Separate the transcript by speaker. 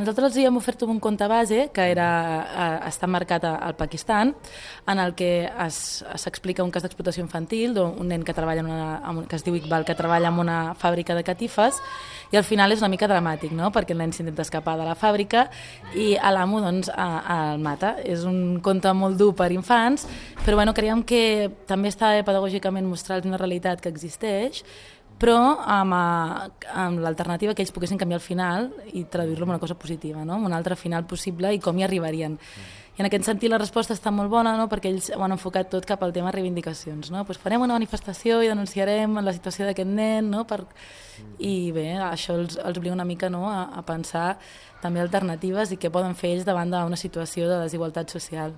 Speaker 1: Nosaltres els hi hem ofert un compte base que està marcat al Pakistan, en el que s'explica un cas d'explotació infantil d'un nen que treballa que es diu Iqbal, que treballa en una fàbrica de catifes, i al final és una mica dramàtic, no? Perquè el nen s'intenta escapar de la fàbrica i l'amo doncs, el mata. És un conte molt dur per infants, però bueno, creiem que també està bé pedagògicament mostrar-los una realitat que existeix, però amb l'alternativa que ells poguessin canviar el final i traduir-lo en una cosa positiva, no? Un altre final possible i com hi arribarien. I en aquest sentit la resposta està molt bona, no? Perquè ells ho han enfocat tot cap al tema reivindicacions. No? Pues farem una manifestació i denunciarem la situació d'aquest nen, no? I bé, això els obliga una mica, no? a pensar també alternatives i què poden fer ells davant d'una situació de desigualtat social.